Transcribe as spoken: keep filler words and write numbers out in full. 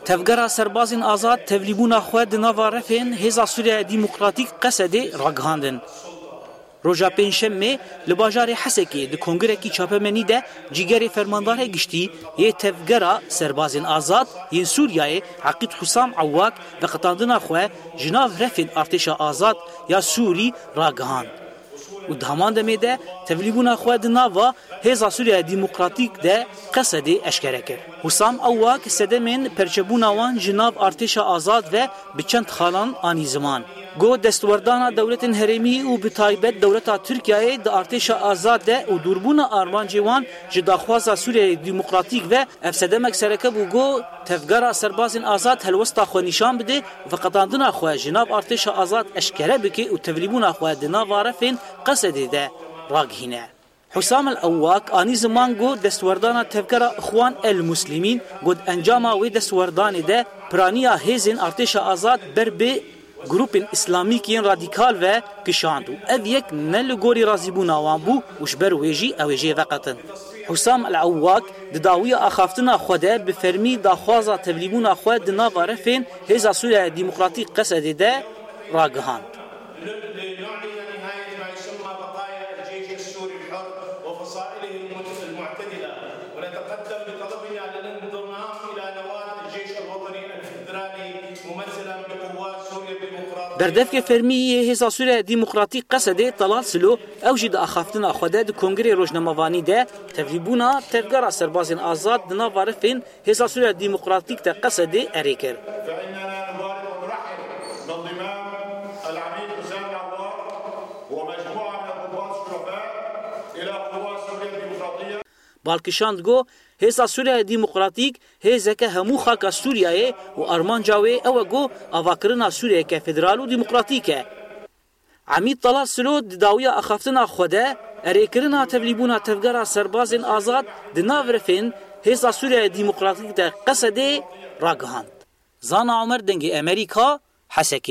Tevgera Serbazên Azad tevlîbûna xwe di nava refên Hêza Sûriya Demokratîk, Qesedê, ragihandin. Roja Pêncşemê li bajarê Hesekê di kongirekî çapemenî de cîgerê Fermandarê Giştî yê Tevgera Serbazên Azad yên Sûriyeyê Eqîd Husam Ewak veqetandina xwe ji nav refên Artêşa Azad ya Sûrî ragihand û di heman demê de tevlîbûna xwe di nava Hêza Sûriya Demokratîk de, Qesedê, eşkere kir. Husam Ewak sedemên perçebûna wan ji nav Artêşa Azad ve bi çend xalan anî ziman. Got, destwerdana dewletên herêmî û bi taybet dewleta Tirkiyeyê di Artêşa Azad de û dûrbûna armancê wan ji daxwaza Sûriyeyê Demokratîk ve, ev sedemek sereke bû ku Tevgera Serbazên Azad helwesta xwe nîşan bide û veqetandina xwe ji nav Artêşa Azad eşkere bike û tevlîbûna xwe di nava refên Qesedê de ragihîne. Husam El Ewak anî ziman ku destwerdana tevgera Ixwan El Muslimîn, got, encama wê destwerdanê de piraniya hêzên Artêşa Azad ber bi grûpên îslamîk yên radîkal ve kişand û ev yek ne li gorî razîbûna wan bû û ji ber wê jî ew ê jê veqetin. Husam El Ewak di dawiya axaftina xwe de bi fermî daxwaza tevlîbûna xwe di nava refên Hêza Sûriya Demokratîk, Qesedê, de ragihand. لنعلن نهاية ما يسمى بقايا الجيش السوري الحر وفصائله المت-، المعتدلة، ونتقدم بطلبنا للانضمام إلى نواة الجيش الوطني الفدرالي ممثلا بقوات سوريا الديمقراطية. Berdevkê fermî yê Hêza Sûriya Demokratîk, Qesedê, Talal Silo, ew jî di axaftina xwe de di Kongrê Rojnamevanî de tevlîbûna Tevgera Serbazên Azad di nava refên Hêza Sûriya Demokratîk de, Qesedê, erê kir. فإننا نبارك ونرحب بانضمام العميد حسام العوار ومجموعة من الضباط الشرفاء إلى قوات سوريا الديمقراطية. Bal kişand ku Hêza Sûriya Demokratîk hêzeke hemû xaka Sûriyeyê û armanca wê ew e ku avakirina Sûriyeyeke federal û demokratîk e. Emîd Talal Silo di dawiya axaftina xwe de erêkirina tevlîbûna Tevgera Serbazên Azad di nav refên Hêza Sûriya Demokratîk de, Qesedê, ragihand. Zana Omer, Dengê Emerîka, Hesekê.